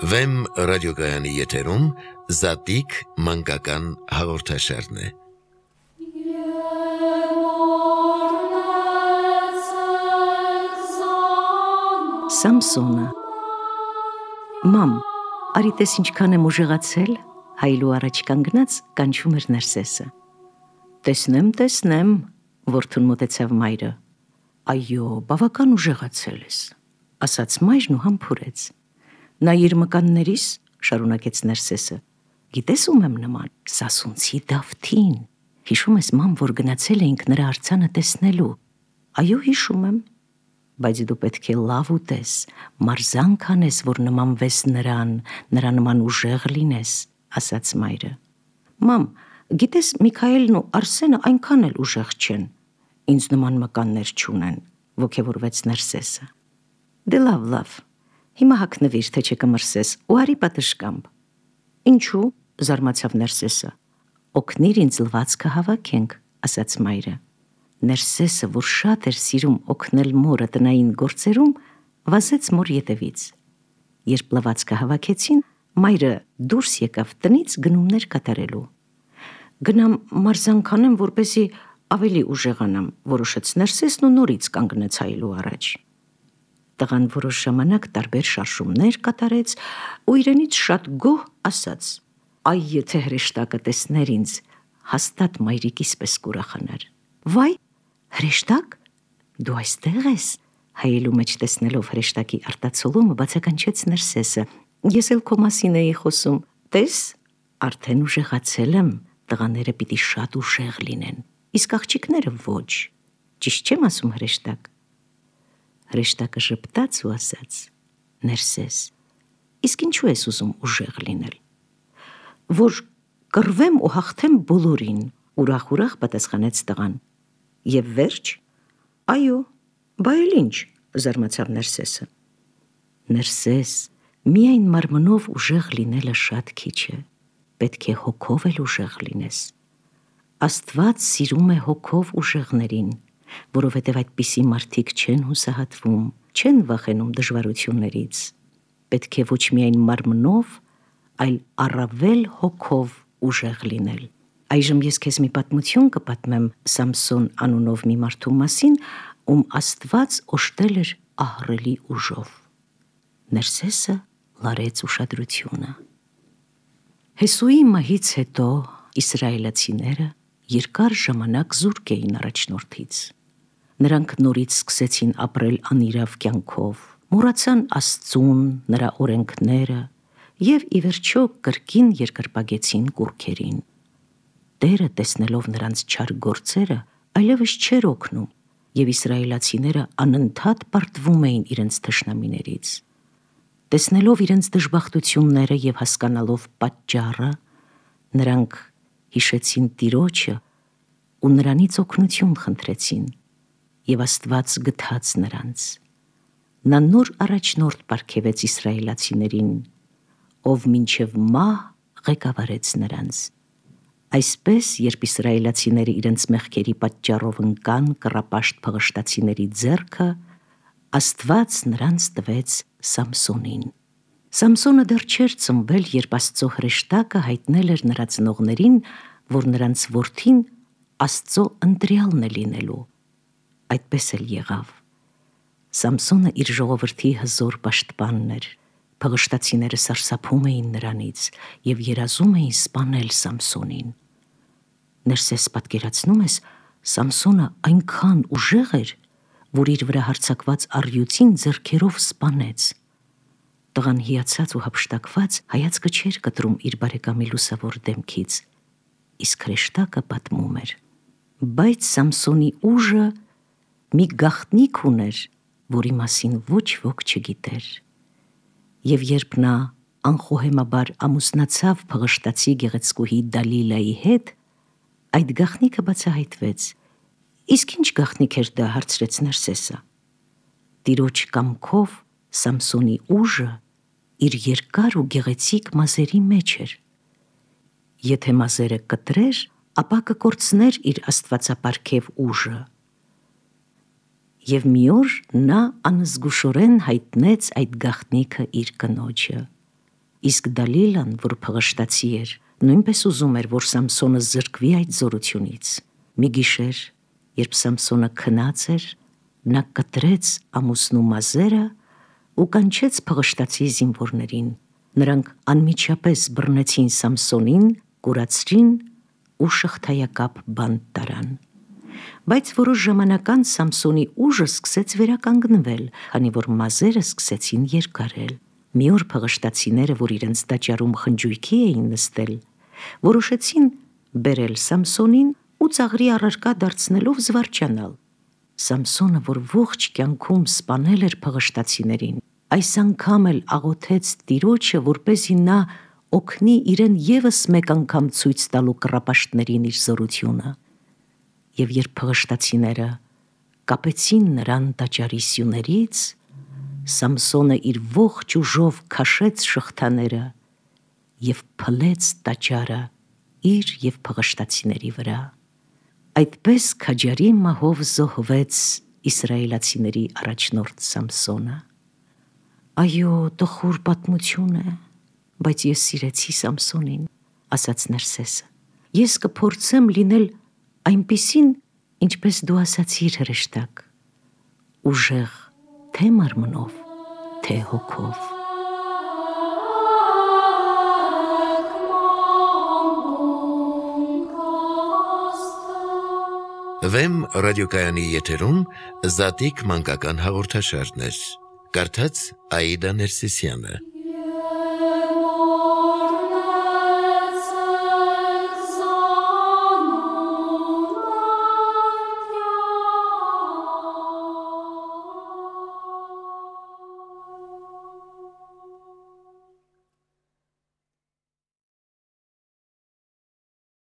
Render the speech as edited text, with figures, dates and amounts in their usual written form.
Վեմ ռադիոգայանի եթերում Զատիկ մանկական հաղորդաշարն է։ Սամսոնը Մամ, արի տես ինչքան եմ ուժեղացել, հայլու առաջ կանգնած կանչում էր Ներսեսը։ Տեսնեմ, որդուն մոտեցավ մայրը։ Այո, բավական ուժեղացել ես, ասաց մայրն ու համբուրեց։ Նայիր մկաններիս, շարունակեց Ներսեսը, գիտես ում եմ նման, Սասունցի Դավթին, հիշում ես մամ, որ գնացել էինք նրա արձանը տեսնելու։ Այո, հիշում եմ, բայց դու պետք է լավ ուտես, մարզանք անես, որ նմանվես նրան, նրա նման ուժեղ լինես, ասաց մայրը։ Մամ, գիտես Միքայելն ու Արսենը այնքան էլ ուժեղ չեն, ինձ նման մկաններ չունեն, ոգևորվեց Ներսեսը։ Դե լավ, հիմա հագնվիր, թե չկմրսես, ու արի պատշգամբ։ Ինչու, զարմացավ Ներսեսը։ Օգնիր ինձ լվացքը հավաքենք, ասաց մայրը։ Ներսեսը, որ շատ էր սիրում օգնել մորը տնային գործերում, վազեց մոր ետևից։ Երբ լվացքը հավաքեցին, մայրը դուրս եկավ տնից գնումներ կատարելու։ Գնամ մարզանք անեմ, որպեսզի ավելի ուժեղանամ, որոշեց Ներսեսն ու նորից կանգնեց հայլու առաջ։ Տղան որոշ ժամանակ տարբեր շարժումներ կատարեց ու իրենից շատ գոհ ասաց. Այ եթե հրեշտակը տեսներ ինձ, հաստատ մայրիկիս պես կուրախանար։ Վայ, հրեշտակ, դու այստեղ ես, հայելու մեջ տեսնելով հրեշտակի արտացոլումը բացականչեց Ներսեսը։ Ես էլ քո մասին էի խոսում, տես, արդեն ուժեղացել եմ, տղաները պիտի շատ ուժեղ լինեն, իսկ աղջիկները ոչ, ճիշտ չեմ ասում հրեշտակ։ Հրեշտակը ժպտաց ու ասաց. Ներսես, իսկ ինչու ես ուզում ուժեղ լինել։ Որ կռվեմ ու հաղթեմ բոլորին, ուրախ պատասխանեց տղան։ Եվ վերջ։ Այո, բա էլ ինչ, զարմացավ Ներսեսը։ Ներսես, միայն մարմնով ուժեղ լինելը շատ քիչ է, պետք է հոգով էլ ուժեղ լինես։ Աստված սիրում է հոգով ուժեղներին, որովհետև այդպիսի մարդիկ չեն հուսահատվում, չեն վախենում դժվարություններից։ Պետք է ոչ միայն մարմնով, այլ առավել հոգով ուժեղ լինել։ Այժմ ես քեզ մի պատմություն կպատմեմ Սամսոն անունով մի մարդու մասին, ում Աստված օժտել էր ահռելի ուժով։ Ներսեսը լարեց ուշադրությունը։ Հեսուի մահից հետո իսրայելացիները երկար ժամանակ զուրկ էին առաջնորդից։ Նրանք նորից սկսեցին ապրել անիրավ կյանքով, մոռացան Աստծուն, նրա օրենքները և ի վերջո կրկին երկրպագեցին կուռքերին։ Տերը, տեսնելով նրանց չար գործերը, այլևս չէր օգնում, և իսրայելացիները անընդհատ պարտվում էին իրենց թշնամիներից։ Տեսնելով իրենց դժբախտությունները և հասկանալով պատճառը, նրանք հիշեցին Տիրոջը ու նրանից օգնություն խնդրեցին, և Աստված գթաց նրանց։ Նա նոր առաջնորդ պարգևեց իսրայելացիներին, ով մինչև մահ ղեկավարեց նրանց։ Այսպես, երբ իսրայելացիները իրենց մեղքերի պատճառով ընկան կռապաշտ փղշտացիների ձեռքը, Աստված նրանց տվեց Սամսոնին։ Սամսոնը դեռ չէր ծնվել, երբ Աստծո հրեշտակը հայտնել էր նրա ծնողներին, որ նրանց որդին Աստծո ընտրյալն է լինելու։ Այդպես էլ եղավ։ Սամսոնը իր ժողովրդի հզոր պաշտպանն էր։ Փղշտացիները սարսափում էին նրանից և երազում էին սպանել Սամսոնին։ Ներսես, պատկերացնում ես, Սամսոնը այնքան ուժեղ էր, որ իր վրա հարձակված առյուծին ձեռքերով սպանեց։ Տղան հիացած ու հափշտակված հայացքը չէր կտրում իր բարեկամի լուսավոր դեմքից, իսկ հրեշտակը պատմում էր. բայց Սամսոնի ուժը մի գաղտնիք ուներ, որի մասին ոչ ոք չգիտեր։ Եվ երբ նա անխոհեմաբար ամուսնացավ փղշտացի գեղեցկուհի Դալիլայի հետ, այդ գաղտնիքը բացահայտվեց։ Իսկ ինչ գաղտնիք էր դա, հարցրեց Ներսեսը։ Տիրոջ կամքով Սամսոնի ուժը իր երկար ու գեղեցիկ մազերի մեջ էր։ Եթե մազերը կտրեր, ապա կկորցներ իր աստվածապարգև ուժը։ Եվ մի օր նա անզգուշորեն հայտնեց այդ գաղտնիքը իր կնոջը։ Իսկ Դալիլան, որ փղշտացի էր, նույնպես ուզում էր, որ Սամսոնը զրկվի այդ զորությունից։ Մի գիշեր, երբ Սամսոնը քնած էր, նա կտրեց ամուսնու մազերը ու կանչեց փղշտացի զինվորներին։ Նրանք անմիջապես բռնեցին Սամսոնին, կուրացրին ու շղթայակապ բանտ տարան։ Բայց որոշ ժամանակ անց Սամսոնի ուժը սկսեց վերականգնվել, քանի որ մազերը սկսեցին երկարել։ Մի օր փղշտացիները, որ իրենց տաճարում խնջույքի էին նստել, որոշեցին բերել Սամսոնին ու ծաղրի առարկա դարձնելով զվարճանալ։ Սամսոնը, որ ողջ կյանքում սպանել էր փղշտացիներին, այս անգամ էլ աղոթեց Տիրոջը, որպեսզի նա օգնի իրեն ևս մեկ անգամ ցույց տալու կռապաշտներին իր զորությունը։ Եվ երբ փղշտացիները կապեցին նրան տաճարի սյուներից, Սամսոնը իր ողջ ուժով քաշեց շղթաները և փլեց տաճարը իր և փղշտացիների վրա։ Այդպես քաջարի մահով զոհվեց իսրայելացիների առաջնորդ Սամսոնը։ Այո, տխուր պատմություն է, բայց ես սիրեցի Սամսոնին, ասաց Նարսեսը։ Ես կփորձեմ լինել այնպիսին, ինչպես դու ասացիր, հրեշտակ, ուժեղ թե մարմնով, թե հոգով։ Վեմ ռադիոկայանի եթերում Զատիկ մանկական հաղորդաշարներ։ Կարդաց Աիդա Ներսիսյանը։